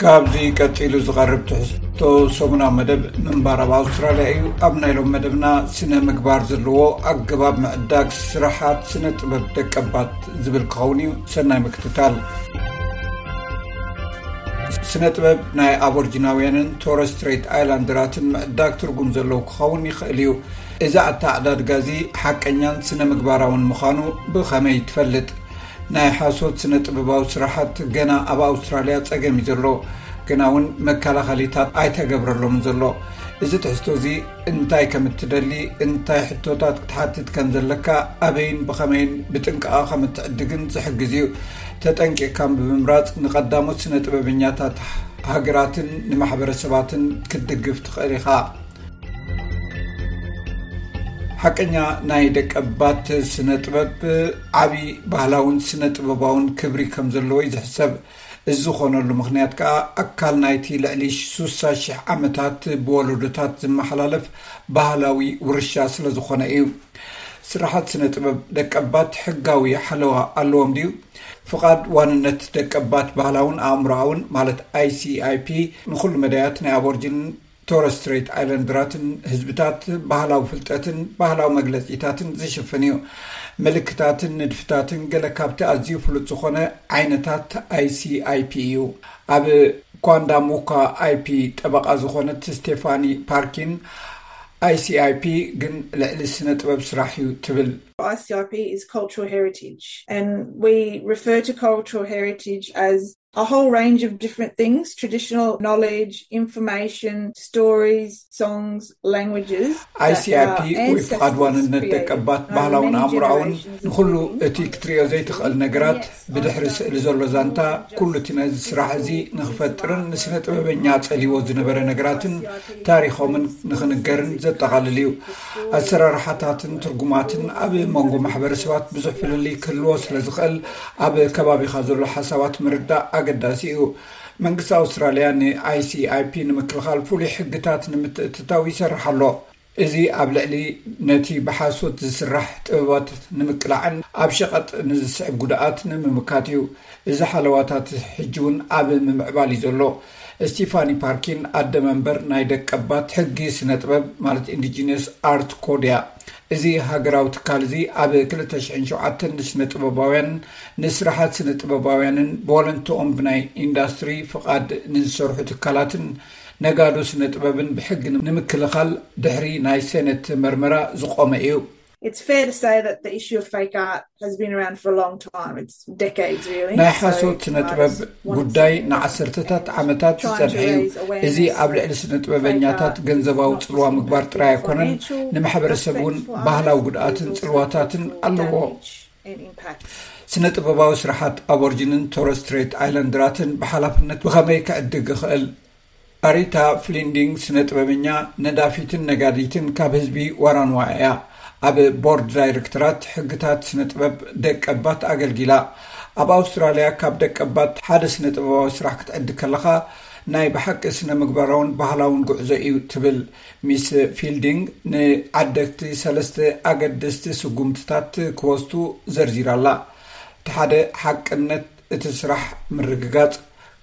ካብዚ ቀጺሉ ዝቐርብ ትሕዝቶ ሰሙናዊ መደብ ምንባር ኣብ ኣውስትራልያ እዩ። ኣብ ናይ ሎም መደብና ስነ ምግባር ዘለዎ ኣገባብ ምዕዳግ ስራሓት ስነ ጥበብ ደቀባት ዝብል ክኸውን እዩ። ሰናይ ምክትታል። ስነ ጥበብ ናይ ኣቦርጂናውያንን ቶረስ ስትሬት ኣይላንደራትን ምዕዳግ ትርጉም ዘለዎ ክኸውን ይኽእል እዩ። እዚ ኣተዓዳድጋ እዚ ሓቀኛን ስነ ምግባራውን ምዃኑ ብኸመይ ትፈልጥ? ናይ ሓሶት ስነ ጥበባዊ ስራሓት ገና ኣብ ኣውስትራልያ ጸገም እዩ ዘሎ፣ ግና እውን መከላኸሊታት ኣይተገብረሎምን ዘሎ። እዚ ትሕዝቶ እዚ እንታይ ከም እትደሊ፣ እንታይ ሕቶታት ክትሓትት ከም ዘለካ፣ ኣበይን ብኸመይን ብጥንቃቐ ከም እትዕድግን ዝሕግዝ እዩ። ተጠንቂቕካ ብምምራጽ ንቐዳሞት ስነ ጥበበኛታት ሃገራትን ንማሕበረሰባትን ክትድግፍ ትኽእል ኢኻ። ሓቀኛ ናይ ደቀባት ስነ ጥበብ ዓቢ ባህላውን ስነ ጥበባውን ክብሪ ከም ዘለዎ እዩ ዝሕሰብ። እዚ ዝኾነሉ ምኽንያት ከኣ ኣካል ናይቲ ልዕሊ ሱሳ ሽሕ ዓመታት ብወለዶታት ዝመሓላለፍ ባህላዊ ውርሻ ስለ ዝኾነ እዩ። ስራሓት ስነ ጥበብ ደቀባት ሕጋዊ ሓለዋ ኣለዎም ድዩ? ፍቓድ ዋንነት ደቀባት ባህላውን ኣእምሮኣውን ማለት ኣይሲኣይፒ ንኹሉ መዳያት ናይ ኣቦርጂን ቶረስ ስትሬት ኣይላንደራትን ህዝብታት ባህላዊ ፍልጠትን ባህላዊ መግለጺታትን ዝሽፍን እዩ። ምልክታትን ንድፍታትን ገለ ካብቲ ኣዝዩ ፍሉጥ ዝኾነ ዓይነታት ኣይሲኣይፒ እዩ። ኣብ ኳንዳሙካ ኣይፒ ጠበቓ ዝኾነት ስቴፋኒ ፓርኪን፣ ኣይሲኣይፒ ግን ልዕሊ ስነ ጥበብ ስራሕ እዩ ትብል። I C I P is cultural heritage, and we refer to cultural heritage as a whole range of different things: traditional knowledge, information, stories, songs, languages. ኣይሲኣይፒ ወይ ፍቓድ ዋንነት ደቀባት ባህላውን ኣእምሮኣውን ንኹሉ እቲ ክትሪኦ ዘይትኽእል ነገራት፣ ብድሕሪ ስእሊ ዘሎ ዛንታ፣ ኩሉ እቲ ነዚ ስራሕ እዚ ንኽፈጥርን ንስነ ጥበበኛ ጸልይዎ ዝነበረ ነገራትን ታሪኾምን ንኽንገርን ዘጠቓልል እዩ። ኣሰራርሓታትን ትርጉማትን ኣብ መንጎ ማሕበረሰባት ብዙሕ ፍልልይ ክህልዎ ስለ ዝኽእል፣ ኣብ ከባቢኻ ዘሎ ሓሳባት ምርዳእ ኣገዳሲ እዩ። መንግስቲ ኣውስትራልያ ን ICIP ንምክልኻል ፍሉይ ሕግታት ንምትእትታው ይሰርሕ ኣሎ። እዚ ኣብ ልዕሊ ነቲ ብሓሶት ዝስራሕ ጥበባት ንምቅላዕን ኣብ ሸቐጥ ንዝስዕብ ጉድኣት ንምምካት እዩ። እዚ ሓለዋታት ሕጂ እውን ኣብ ምምዕባል እዩ ዘሎ። ስቲፋኒ ፓርኪን ኣደ መንበር ናይ ደቀባት ሕጊ ስነ ጥበብ ማለት ኢንዲጂነስ ኣርት ኮድ እያ። እዚ ሃገራዊ ትካል እዚ ኣብ ክልተ ሽሕን ሸውዓተን ንስነ ጥበባውያን፣ ንስራሓት ስነ ጥበባውያንን ብወለንትኦም ብናይ ኢንዳስትሪ ፍቓድ ንዝሰርሑ ትካላትን ነጋዶ ስነ ጥበብን ብሕጊ ንምክልኻል ድሕሪ ናይ ሴነት መርመራ ዝቖመ እዩ። It's fair to say that the issue of fake art has been around for a long time. It's decades, really. ናይ ሓሶት ስነ ጥበብ ጉዳይ ንዓሰርተታት ዓመታት ዝጸንሐ እዩ። እዚ ኣብ ልዕሊ ስነ ጥበበኛታት ገንዘባዊ ጽልዋ ምግባር ጥራይ ኣይኮነን፣ ንማሕበረሰብ እውን ባህላዊ ጉድኣትን ጽልዋታትን ኣለዎ። ስነ ጥበባዊ ስራሓት ኣቦርጂንን ቶረስ ስትሬት ኣይላንደራትን ብሓላፍነት ብኸመይ ክዕድግ ይኽእል? ኣሪታ ፍሊንዲንግ ስነ ጥበበኛ፣ ነዳፊትን ነጋዲትን ካብ ህዝቢ ዋራንዋ እያ። ኣብ ቦርድ ዳይረክተራት ሕግታት ስነ ጥበብ ደቀባት ኣገልጊላ። ኣብ ኣውስትራልያ ካብ ደቀባት ሓደ ስነ ጥበባዊ ስራሕ ክትዕድግ ከለኻ ናይ ብሓቂ ስነ ምግባራውን ባህላውን ጉዕዞ እዩ ትብል። ሚስ ፊልዲንግ ንዓደግቲ ሰለስተ ኣገደስቲ ስጉምትታት ክወስዱ ዘርዚራ ኣላ። እቲ ሓደ ሓቅነት እቲ ስራሕ ምርግጋጽ፣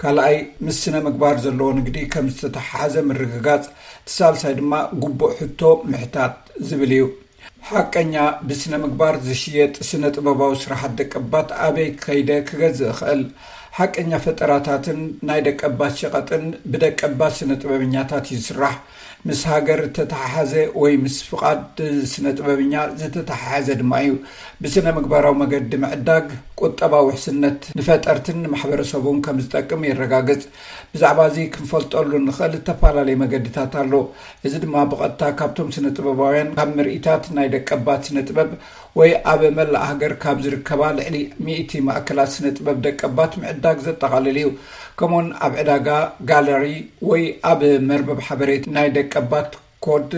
ካልኣይ ምስ ስነ ምግባር ዘለዎ ንግዲ ከም ዝተተሓሓዘ ምርግጋጽ፣ እቲ ሳልሳይ ድማ ግቡእ ሕቶ ምሕታት ዝብል እዩ። ሓቀኛ ብስነ ምግባር ዝሽየጥ ስነ ጥበባዊ ስራሓት ደቀባት ኣበይ ከይደ ክገዝእ እኽእል? ሓቀኛ ፈጠራታትን ናይ ደቀባት ሸቐጥን ብደቀባት ስነ ጥበበኛታት እዩ ዝስራሕ። ምስ ሃገር ዝተተሓሓዘ ወይ ምስ ፍቓድ ስነ ጥበበኛ ዝተተሓሓዘ ድማ እዩ። ብስነ ምግባራዊ መገዲ ምዕዳግ ቁጠባዊ ውሕስነት ንፈጠርትን ንማሕበረሰቡን ከም ዝጠቅም የረጋግጽ። ብዛዕባ እዚ ክንፈልጠሉ እንኽእል እተፈላለየ መገድታት ኣሎ። እዚ ድማ ብቐጥታ ካብቶም ስነ ጥበባውያን፣ ካብ ምርኢታት ናይ ደቀባት ስነ ጥበብ ወይ ኣብ መላእ ሃገር ካብ ዝርከባ ልዕሊ ሚእቲ ማእከላት ስነ ጥበብ ደቀባት ምዕዳግ ዘጠቓልል እዩ። ከምኡውን ኣብ ዕዳጋ፣ ጋለሪ ወይ ኣብ መርበብ ሓበሬታ ናይ ደቀባት ኮድ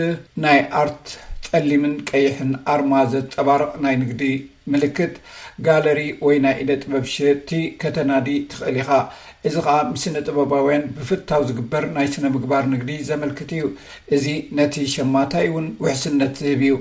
ናይ ኣርት ጸሊምን ቀይሕን ኣርማ ዘንጸባርቕ ናይ ንግዲ ምልክት ጋለሪ ወይ ናይ ኢደ ጥበብ ሸየጥቲ ከተናዲ ትኽእል ኢኻ። እዚ ኸኣ ምስ ስነ ጥበባውያን ብፍታው ዝግበር ናይ ስነ ምግባር ንግዲ ዘመልክት እዩ። እዚ ነቲ ሸማታይ እውን ውሕስነት ዝህብ እዩ።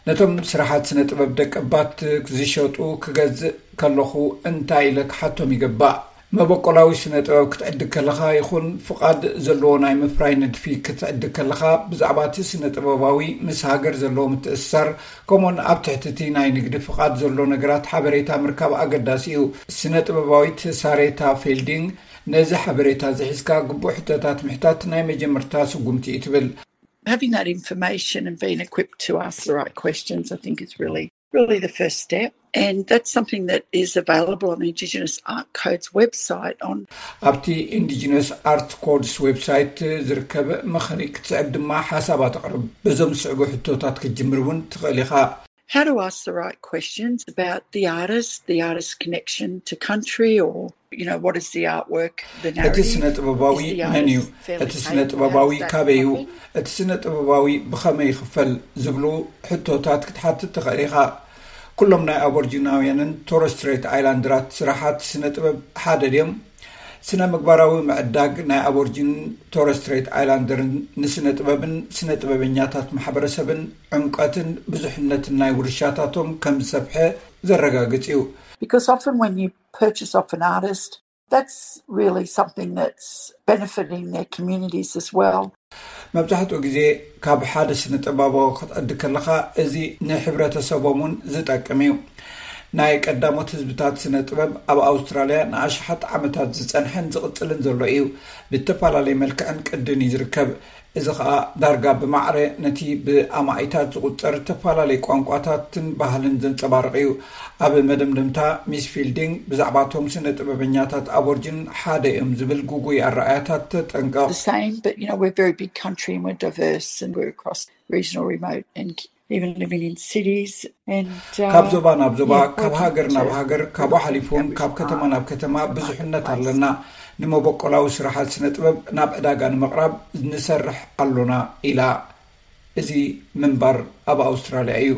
ነቶም ስራሓት ስነ ጥበብ ደቀባት ዝሸጡ ክገዝእ ከለኹ እንታይ ኢለ ክሓቶም ይግባእ? መበቆላዊ ስነ ጥበብ ክትዕድግ ከለኻ ይኹን ፍቓድ ዘለዎ ናይ ምፍራይ ንድፊ ክትዕድግ ከለኻ፣ ብዛዕባ እቲ ስነ ጥበባዊ ምስ ሃገር ዘለዎ ምትእስሳር፣ ከምኡውን ኣብ ትሕቲ እቲ ናይ ንግዲ ፍቓድ ዘሎ ነገራት ሓበሬታ ምርካብ ኣገዳሲ እዩ። ስነ ጥበባዊት ሳሬታ ፌልዲንግ፣ ነዚ ሓበሬታ ዝሒዝካ ግቡእ ሕቶታት ምሕታት ናይ መጀመርታ ስጉምቲ እዩ ትብል። Having that information and being equipped to ask the right questions, I think, is really, really the first step. And that's something that is available on the Indigenous Art Code's website. On ኣብቲ ኢንዲጂነስ ኣርት ኮድስ ዌብሳይት ዝርከብ ምኽሪ ክትስዕብ ድማ ሓሳባት ኣቕርብ። በዞም ዝስዕቡ ሕቶታት ክትጅምር እውን ትኽእል ኢኻ። How to ask the right questions about the artist, the artist's connection to country, or, you know, what is the artwork, the እቲ narrative? ስነ ጥበባዊ Is the መን እዩ? artist fairly እቲ ስነ paid? ጥበባዊ How does that ካበይ እዩ? happen? እቲ ስነ ጥበባዊ ብኸመይ ይኽፈል? ዝብሉ ሕቶታት ክትሓትት ትኽእል ኢኻ። ኩሎም ናይ ኣቦርጂናውያንን ቶረስ ስትሬት ኣይላንደራት ስራሓት ስነ ጥበብ ሓደ ድዮም? ስነ ምግባራዊ ምዕዳግ ናይ ኣቦርጂንን ቶረስ ስትሬት ኣይላንደርን ንስነ ጥበብን ስነ ጥበበኛታት ማሕበረሰብን ዕምቀትን ብዙሕነትን ናይ ውርሻታቶም ከም ዝሰፍሐ ዘረጋግጽ እዩ። Because often when you purchase off an artist, that's really something that's benefiting their communities as well. መብዛሕትኡ ግዜ ካብ ሓደ ስነ ጥበባዊ ክትዕድግ ከለኻ፣ እዚ ንሕብረተሰቦም እውን ዝጠቅም እዩ። ናይ ቀዳሞት ህዝብታት ስነ ጥበብ ኣብ ኣውስትራልያ ንኣሽሓት ዓመታት ዝጸንሐን ዝቕጽልን ዘሎ እዩ። ብተፈላለየ መልክዕን ቅድን እዩ ዝርከብ። እዚ ኸኣ ዳርጋ ብማዕረ ነቲ ብኣማኢታት ዝቑጸር ተፈላለየ ቋንቋታትን ባህልን ዘንጸባርቕ እዩ። ኣብ መደምደምታ፣ ሚስ ፊልዲንግ ብዛዕባቶም ስነ ጥበበኛታት ኣቦርጅን ሓደ እዮም ዝብል ግጉይ ኣረኣያታት ተጠንቀቕ። The same, but, you know, we're a very big country and we're diverse and we're across regional, remote, and even living in cities. And uh, ካብ ዞባ ናብ ዞባ፣ yeah, ካብ working ሃገር ናብ to ሃገር፣ ካብኡ ሓሊፉ እውን ካብ ከተማ ናብ ከተማ ብዙሕነት ኣለና። ንመበቆላዊ ስራሓት ስነ ጥበብ ናብ ዕዳጋ ንምቕራብ ንሰርሕ ኣሎና ኢላ። እዚ ምንባር ኣብ ኣውስትራልያ እዩ።